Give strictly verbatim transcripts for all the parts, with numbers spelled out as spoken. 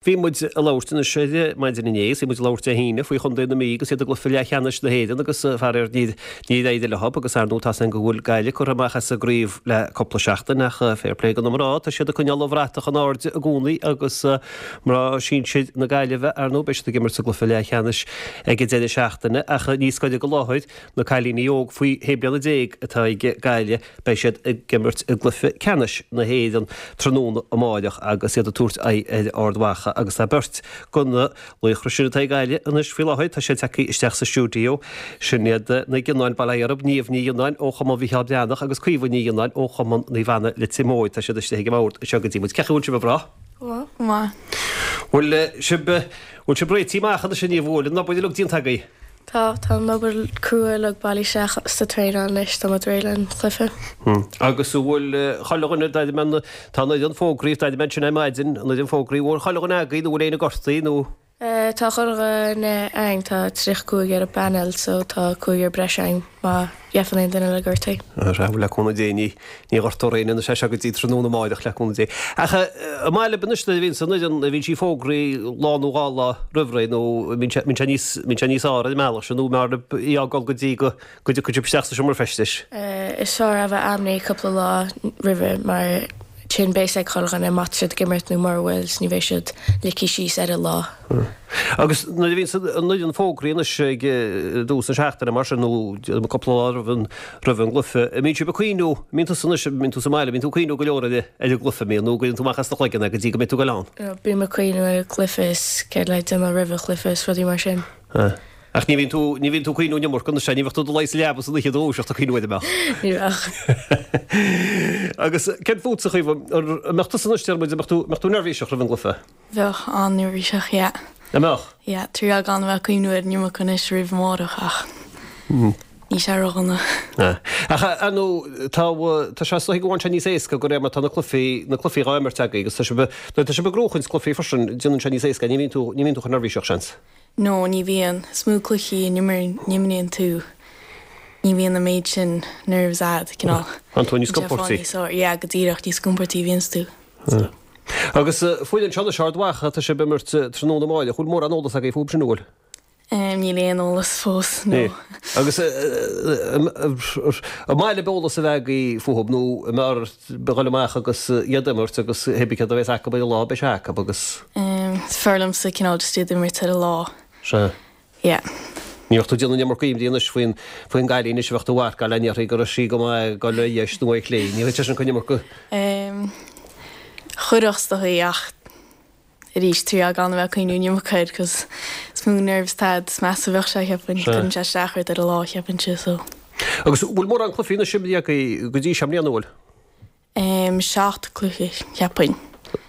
Bhí muid ag labhairt anois ar maidin inné, is bhí muid ag labhairt Dé hAoine faoi Chontae na Mí agus iad i gcluiche leathcheannais na hÉireann agus faraor níor éirigh leo agus ar ndóigh tá 's againn go bhfuil Gaillimh curtha amach as an gcraobh le cúpla seachtain ach fair play do na mná, tá siad ag coinneáil an bhratach in airde i gcónaí agus mná sinsir na Gaillimhe ar ndóigh beidh siad ag imirt sa gcluiche leathcheannais ag an deireadh seachtaine ach níos gaire go láthair na cailíní óg faoi shé bliana déag atá ag Gaillimh beidh siad ag imirt i gcluiche ceannais na hÉireann tráthnóna amáireach agus iad ag tabhairt aghaidh ar Ard Mhacha agus tá beirt de na laochra sin atá ag Gaillimh anois faoi láthair. Tá siad tagtha isteach sa stiúideo. Sin iad na Gionnáin, bail ó Dhia orthu, Niamh Ní Ghionnáin ó Chumann Mhicheál Breathnach agus Caoimhe Ní Ghionnáin ó Chumann Naomh Anna Leitir Móir. Tá siad istigh ag an mbord anseo go dtí muid. Cén chaoi a bhfuil sibh a mhná? Go maith. Go maith. Bhfuil sibh, bhfuil sibh réitithe amach anois a Niamh, bhfuil an obair uilig déanta agaibh? Tá, tá an obair crua uilig bailithe isteach sa traenáil anois, tá muid réidh le cluiche. Agus an bhfuil chuile dhuine, d'airigh mé an, tá an fhoireann fógraithe, d'airigh mé ansin ar maidin, an fhoireann fógraithe, an bhfuil chuile dhuine agaibh nó bhfuil éinne gortaithe nó? Tá chuile dhuine againn, tá tríocha cúig ar an bpanel so tá cúigear breise againn má gheibheann aon duine le gortaí. Sea, bhuel le cúnamh Dé ní, ní ghortófar éinne anois as seo go dtí tráthnóna amáireach le cúnamh Dé. Ach an maith libh anois nuair a bhíonns an fhoireann, a bhíonn sí fógraithe lá nó dhá lá roimh ré nó mbíonn sé, mbíonn sé níos, mbíonn sé níos fearr ar an mbealach sin nó an mb'fhearr libh í a fhágáil go dtí go, go dtiocfaidh sibh isteach sa seomra feistis? Is fearr a bheith ainmnithe cúpla lá roimhe mar sin beidh a fhios ag chuile dhuine má tá siad ag imirt nó mura bhfuil 's ní bheidh siad ligthe síos ar an lá. Agus nuair a bhíonn an fhoireann fógraithe anois ag dtús na seachtaine mar sin nó cúpla lá roimh an roimh an gcluiche, an mbíonn sibh ag cuimhniú, an mbíonn tusa anois, an mbíonn tú sa mbaile, an mbíonn tú ag cuimhniú go leor ar ar an gcluiche, an mbíonn, nó an gcuireann tú amach as do chloigeann é go dtí go mbeidh tú ag goil ann? Bím ag cuimhniú ar an gcluiche is céard le déanamh roimh an chluiche is rudaí mar sin. Ach ní bhíonn tú, ní bhíonn tú ag cuimhniú an iomarca anois, ní bheadh tú i do luí sa leaba san oíche dúiseacht ag cuimhniú air, an mbeadh? Ní bheadh. Agus céard fútsa, a Chaoimhe, an mbeadh tusa anois, deir muid, an mbeadh tú, mbeadh tú neirbhíseach roimh an gcluiche? Bheadh, an-neirbhíseach, yeah. An mbeadh? Yeah, triail gan a bheith ag cuimhniú air an iomarca anois roimh amárach ach níl sé ródhona. Ach ar ndóigh, tá, tá sé is dóigh go bhfaigheann sé níos éasca de réir mar tá na cluichí, na cluichí dhá imirt agaibh agus tá sibh, nuair atá sibh ag gnóchaint cluichí freisin, déanann sé níos éasca, ní bhíonn tú, ní bhíonn tú chomh neirbhíseach, seans. No, ní bhíonn. Is mó cluichí a n-imríonn tú, ní bhíonn an méid sin nerves a'd, cineál. Tá tú níos compórtaí. Yeah, go díreach, níos compórtaí a bhíonns tú. Agus foireann seo anois Ard Mhacha, tá sibh ag imirt tráthnóna amáireach, bhfuil mórán eolas agaibh fúthu sin, an bhfuil? Níl aon eolas fós, no. Agus an maith libh eolas a bheith agaibh fúthu nó an mb'fhearr dhul amach agus iad a imirt agus hé bí céard a bheas acu ar an lá, beidh sé acu agus. Is fearr liomsa cineál just iad a imirt ar an lá. Sea. Yeah. Ní bheadh tú ag déanamh an iomarca imní anois faoin faoin gcailín anois a bheadh tú a mharcáil an ndéarfaí go raibh sí go maith ag dul ar dheis nó ar chlé. Ní bheadh sé sin chun iomarca. Chuirfeadh is dóigh ach arís triail gan a bheith ag cuimhniú an iomarca air 'cause is mó nerves atá a'd is measa a bheadh sé cheapfainn. Cuireann sé isteach ort ar an lá cheapfainnse so. Agus bhfuil mórán cluichí anois imeartha agaibh go dtí seo i mbliana, an bhfuil? Seacht cluiche, cheapfainn.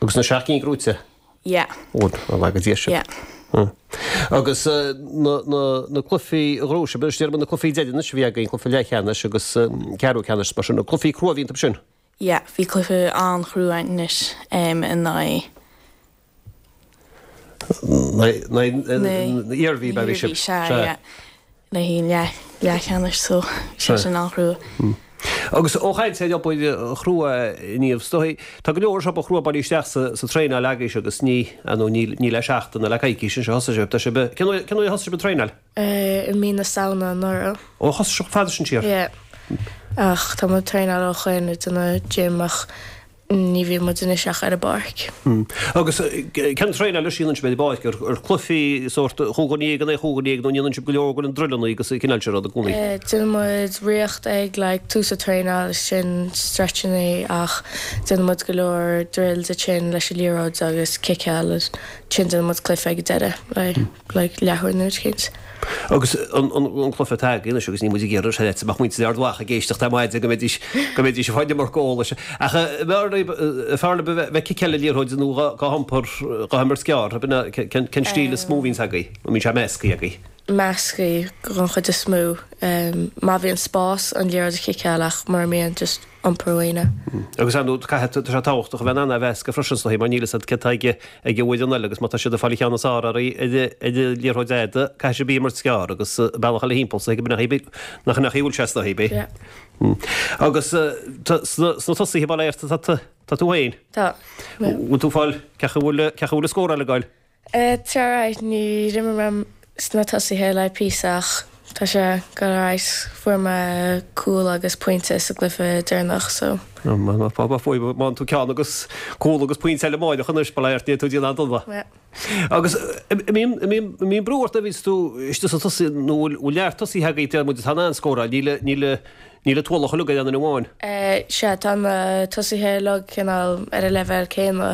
Agus na seacht gcinn gnóite? Yeah. Ó, bail ó Dhia oraibh. Yeah. Agus na, na, na cluichí a ghnóthaigh sibh, anois déarfaidh mé na cluichí deireanais a bhí againn, cluiche leathcheannais agus ceathrú ceannais mar sin, na cluichí crua a bhí iontu sin? Yeah, bhí cluiche an-chrua againn anois in aghaidh. Na Iarmhí, bhí sibh. Sea, yeah. Le haghaidh leathcheannais so bhí sé sin an-chrua. Agus ó chaint ar obair chrua Niamh, is dóigh, tá go leor obair chrua bailithe isteach sa traenáil agaibhse agus ní, ar ndóigh, níl, níl le seachtain ná le coicís anseo thosaigh sibh, tá sibh, cén uair, cén uair a thosaigh sibh ag traenáil? I mí na Samhna anuraidh. Ó, thosaigh sibh chomh fada sin siar? Yeah. Ach tá muid ag traenáil ó shoin, ag déanamh gym ach Ní bhíonn muid anois ach ar an bpáirc. Agus cén traenáil a dhéanann sibh ar an bpáirc? Ar cluichí sórt chúig dhuine déag in aghaidh chúig dhuine déag nó an ndéanann sibh go leor de na druileanna agus an cineál sin rud i gcónaí? Déanann muid riocht ag like tús an traenáil sin stretchanna ach déanann muid go leor drills ansin leis an liathróid agus ciceáil ansin déanann muid cluiche ag an deireadh like like leathuair nó éicint. Agus an cluiche atá agaibh anois agus níl muid ag iarraidh sé leat go mbeadh muintir Ard Mhacha ag éisteacht ar maidin go mbeidís go mbeidís ag fáil an iomarca eolais. Ach an bhfearr libh a bheith ag ciceáil an liathróid nó dhá hiompar dhá himirt gearr, ab ina cén stíl is mó a bhíonns agaibh? Nó mbíonn sé measctha agaibh? Measctha don chuid is mó. Má bhíonn spás an liathróid a chiceáil ach mura mbíonn just iompar uaine. Agus ar ndóigh caithfidh, tá sé tábhachtach a bheith in ann a mheascadh freisin is dóigh mar níl fhios agat céard atá ag ag an bhfoireann eile agus má tá siad ag fáil an cheann is fearr ar an liathróid fhada caithfidh sibh í a imirt gearr agus bealach eile thimpeall so nach nach nach bhfuil sé is dóigh, ab é? Yeah. Agus sna tosaithe bail ó Dhia tá tú féin? Tá. Bhfuil tú fáil cé bhfuil cé bhfuil scóráil ag goil? Tá right, níor imir mé sna tosaithe le píosa ach tá sé go right fuair mé cúl agus pointe sa gcluiche deireanach so. Má tú ceann agus cúl agus pointe eile amárach anois bail ó Dhia ort tú déanamh dona. Agus mbíonn brú ort a bhí tú istigh sa tosaí nó bhfuil lear tosaithe agaibh deir muid atá in ann scóráil níl níl níl an t-ualach uilig ar aon duine amháin. Sea tá na tosaithe uilig cineál ar an leibhéal céanna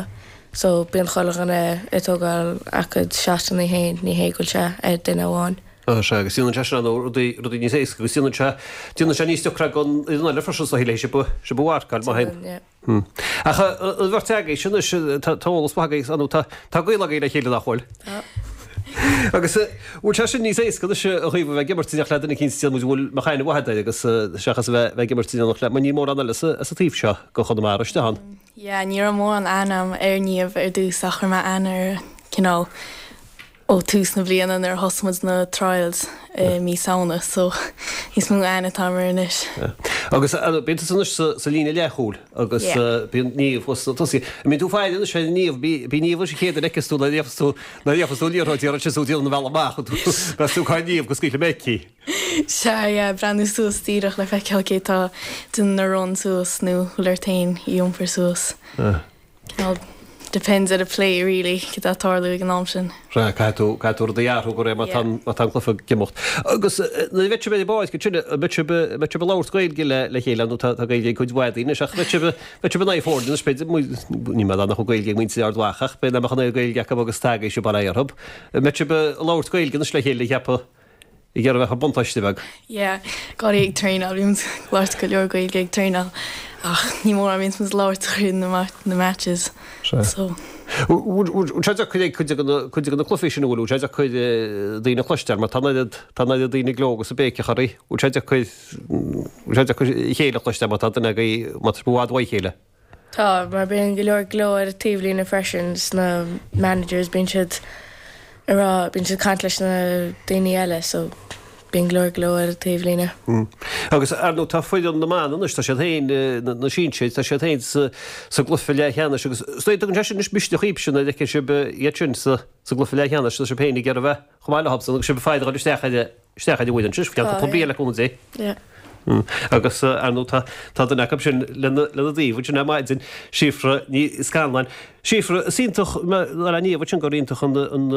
so bíonn chuile dhuine ag tógáil a gcuid shotanna féin ní hé go bhfuil sé ar duine amháin. Sea agus déanann sé sin rudaí rudaí níos éasca agus déanann sé déanann sé níos deacra don fhoireann eile freisin sa le sibh sibh a mharcáil má théann. Ach an bheirt agaibh sin anois tá eolas maith agaibh nó tá tá gaol agaibh le chéile nach bhfuil? Tá. Agus bhfuil sé sin níos éasca anois a Chaoimhe bheith ag imirt in éineacht le duine eicínt déarfaidh muid bhfuil mbeadh aithne mhaith agat air agus seachas a bheith bheith ag imirt in éineacht le mar níl mórán eile sa sa taobh seo go Chonamara istigh ann. Yeah, ní raibh mórán aithne agam ar Niamh ar dtús ach chuir mé aithne uirthi cineál ó tús na bliana nuair a thosaigh muid na trials i mí Samhna so níos mó aithne atá agam uirthi anois. Agus bíonn tusa anois sa líne leathchúil agus bíonn Niamh thuas sna tosaithe. An mbíonn tú ag faire anois ar Niamh, bíonn Niamh an chéad a fheiceas tú nuair a gheofas tú nuair a gheofas tú an liathróid iarrann sé tú déanamh an bhealach amach meas tú cá Niamh go scaoilfidh mé aici. Sea, yeah, breathnú suas díreach le feiceáil cé tá déanamh na run suas nó bhfuil ort féin í iompar suas. Cineál depends ar an play really, cad tá ag tarlú ag an am sin. Sea, caithfidh tú, caithfidh tú rudaí a athrú de réir má tá, má tá an cluiche ag imeacht. Agus nuair a bheidh sibh ar an bpáirc ansin, an mbeidh sibh, an mbeidh sibh ag labhairt Gaeilge le, le chéile nó tá, tá Gaeilge ag cuid mhaith daoine anois ach bheidh sibh, bheidh sibh in aghaidh foirne anois b'fhéidir, níl mé ag rá nach bhfuil Gaeilge ag muintir Ard Mhacha ach b'fhéidir nach mbeadh an oiread Gaeilge acu agus atá agaibhse bail ó Dhia orthu. An mbeidh sibh ag labhairt Gaeilge anois le chéile, cheapfá? Ag iarraidh a bheith buntáiste beag. Yeah, go háirithe ag traenáil, bíonn muid ag labhairt go leor Gaeilge ag traenáil ach ní mórán a bhíonns muid ag labhairt tríd na na matches. So. Bhfuil sé deacair ag cuid de na cuid de na cluichí sin an bhfuil, bhfuil sé deacair daoine a chloisteáil mar tá an oiread tá an oiread daoine ag gleo agus ag béiceach oraibh, bhfuil sé deacair bhfuil sé deacair a chéile a chloisteáil má tá duine agaibh má tá sibh i bhfad uaidh chéile? Tá, mar bíonn go leor gleo ar an taobhlíne freisin, sna managers, bíonn siad ag rá, bíonn siad ag caint leis na daoine eile so bíonn go leor gleo ar an taobhlíne. Agus ar ndóigh tá foireann na mban anois, tá siad féin, na sinsir, tá siad féin sa sa gcluiche leathcheannais agus is dóigh tugann sé sin anois misneach dhaoibhse nuair a fheiceann sibh iad sin sa sa gcluiche leathcheannais, tá sibh féin ag iarraidh a bheith chomh maith leothsan agus sibh ag faire a dhul isteach ar isteach ar an bhfoireann sin, ceann cúpla bliain le cúnamh Dé. Yeah. Agus ar ndóigh tá tá duine acu sin lena lena dtaobh ansin ar maidin, Síofra Ní Scanláin. Síofra, is iontach le Niamh ansin gur iontach an an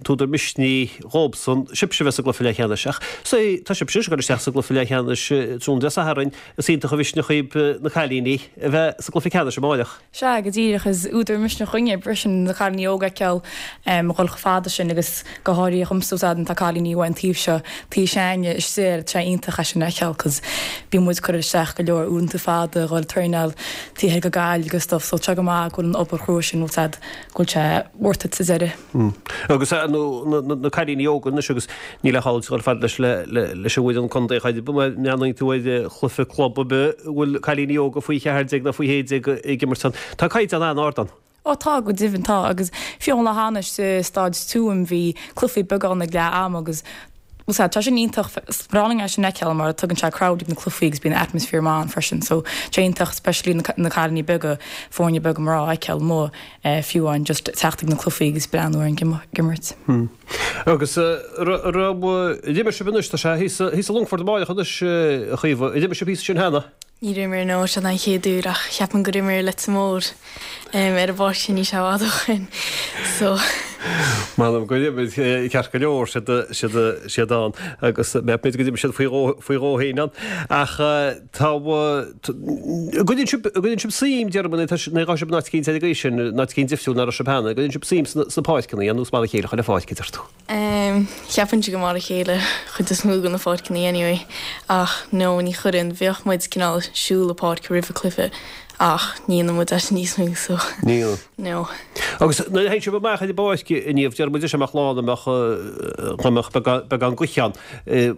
t-údar misnigh dhóibhsan sibhse a bheith sa gcluiche leathcheannais ach sea tá sibhse ag dul isteach sa gcluiche leathcheannais tráthnóna Dé Sathairn, is iontach an misneach dhaoibh na cailíní a bheith sa gcluiche ceannais amáireach. Sea, go díreach, is údar misnigh dhúinne freisin na cailíní óga a fheiceáil ag dhul chomh fada sin agus go háirithe dhomsa tá tá cailíní uaidh an taobh seo, taobh s'againne istigh, tá sé iontach é sin a fheiceáil cos bíonn muid ag cur isteach go leor uaireanta fada ag dhul traenáil taobh thoir go Gaillimh agus stuff so tá sé go maith go bhfuil an obair chrua sin bhfuil siad go bhfuil sé worth it sa deireadh. Agus nó na cailíní óga anois agus níl ach dhul fad leis leis an bhfoireann contae chomh fada má bhreathnaíonn tú ar chluiche club ar bith a bhfuil cailíní óga faoi cheathair déag nó faoi shé déag ag imirt ann. Tá caighdeán an-ard ann. Ó tá, go deimhin tá agus fiú an lá cheana sa Staid Tuaim bhí cluichí beaga ann ag leath ama agus bhuel sea, tá sin iontach, is breá linn é sin a fheiceáil mar tugann sé crowd ag na cluichí agus bíonn atmosphere maith ann freisin so tá sé iontach especially na na cailíní beaga, foirne beaga mná a fheiceáil amuigh fiú amháin just teacht ag na cluichí agus breathnú ar an imirt. Agus raibh, ar imir sibh anois, tá sé thíos thíos i Longfort amáireach anois a Chaoimhe, ar imir sibh thíos ansin cheana? Níor imir no, seo an chéad uair ach cheapaim gur imir Leitir Móir ar an bpáirc sin níl sé i bhfad ó shin so. M'anam gur imir ceart go leor siad siad siad ann agus b'fhéidir go d'imir siad faoi dhó faoi dhó féin ann ach tá an gcuireann sibh an gcuireann sibh suim déarfainn nó tá nó sibh in áit eicínt ar an gcaoi sin in áit eicínt difriúil ná raibh sibh cheana an gcuireann sibh suim sna sna páirceanna nó is mar a chéile chuile pháirc a deir tú. Cheapfainnse gur mar a chéile chuid is mó de na pháirceanna anyway ach no ní chuireann, bhíodh muid cineál siúl an pháirc roimh an cluiche ach ní dhéanann muid é sin níos mó so Níl. no. Agus nuair a théann sibh amach ar an bpáirc a Niamh, deir muid anois amach lá ina mbeadh go mbeadh beagán gaoithe ann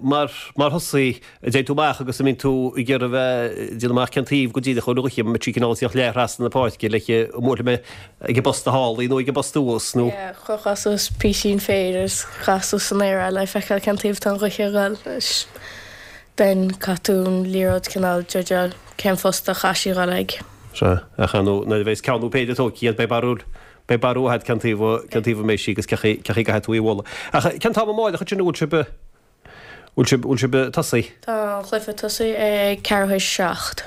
mar mar thosaí An dtéann tú amach agus an mbíonn tú ag iarraidh a bheith ag déanamh amach cén taobh go díreach a bhfuil an ghaoth, an mbeidh sí cineál ag tíocht leath thrasna na páirce like an mbuailfidh mé ag an bposta thall í nó ag an bposta thuas nó. Yeah, chuirfeá suas písín féir agus chaith suas san aer é le feiceáil cén taobh atá an ghaoth ag dul. Ben caithfidh tú an liathróid cineál judgeáil cén phost a chaithfidh sí dhul ag. Sea, ach ar ndóigh nuair a bheas ceann nó péire tógtha agat beidh barúil, beidh barúil agat cén taobh, cén taobh a mbeidh sí agus cé chaoi, cé chaoi a gcaithfidh tú í a bhualadh. Ach cén t-am amáireach ansin a bhfuil sibh, bhfuil sibh, bhfuil sibh ag tosaí? Tá an cluiche ag tosaí ag ceathrú théis seacht.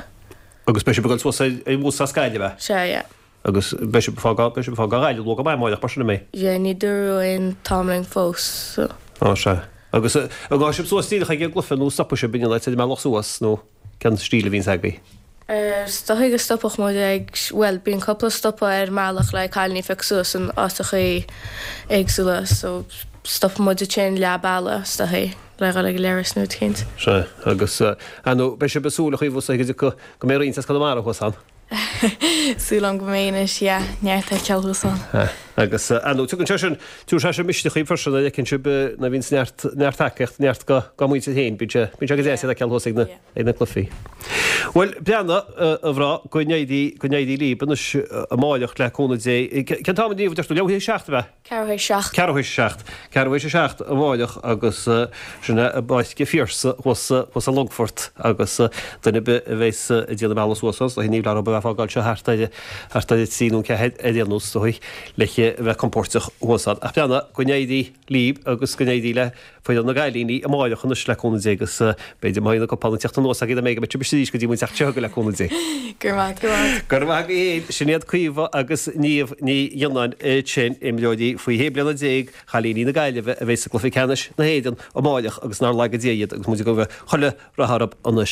Agus beidh sibh ag dul suas ar, ar bhus as Gaillimh, a? Sea, yeah. Agus beidh sibh ag fágáil, beidh sibh ag fágáil Ghaillimh luath go maith amáireach mar sin an mbeidh? Yeah, ní dúradh aon t-am linn fós, so. Á, sea. Agus an ngabhfaidh sibh suas díreach ag an gcluiche nó stopfaidh sibh in aon áit ar an mbealach suas nó cén stíl a bhíonns agaibh? Is dóigh go stopfadh muid ag, bhuel, bíonn cúpla stopadh ar an mbealach le cailíní a phiocadh suas in áiteachaí éagsúla so stopfaidh muid ansin leath bealaigh is dóigh le dhul ag an leithreas nó rud eicínt. Sea, agus ar ndóigh beidh sibh ag súil a Chaoimhe go dtiocfaidh, go mbeidh roinnt as Conamara thuas ann. Súil agam go mbeidh anois, yeah, neart a fheiceáil thuas ann. Agus ar ndóigh tugann sé sin, tugann sé sin misneach dhaoibh freisin nuair a fheiceann sibh nuair a bhíonns neart, neart tacaíocht, neart go, go muintir féin, bíonn sé, bíonn sé go deas iad a fheiceáil thuas ag na, ag na cluichí. Bhuel, breathnaigh, a mhná, go n-éirí, go n-éirí libh anois amáireach le cúnamh Dé. Cén t-am a deir tú, leathuair théis a seacht ab ea? Ceathrú théis seacht. Ceathrú théis a seacht. Ceathrú théis a seacht amáireach agus sin é i bPáirc an Phiarsaigh thuas thuas i Longfort agus duine ar bith a bheas ag déanamh an bealach suas ann, is dóigh ní bheadh orthu a bheith ag fágáil seo thart ar thart ar a trí nó a ceathair ar aon nós, is dóigh, le bheith compóirteach thuas ann. Ach breathnaigh, go n-éirí libh agus go n-éirí le foireann na gcailíní amáireach anois le cúnamh Dé agus b'fhéidir má bhíonn an cupán ag teacht anuas agaibh dá mbeidh go mbeidh sibh arís go dtí muid teacht seo chugaibh le cúnamh Dé. Go raibh maith agat. Go raibh maith agaibh féin. Sin iad Caoimhe agus Niamh Ní Ghionnáin ansin, imreoirí faoi shé bliana déag, chailíní na Gaillimhe a bheidh sa gcluiche ceannais na hÉireann amáireach agus nár laga Dia iad agus muid ag gabháil chuile rath orthu anois.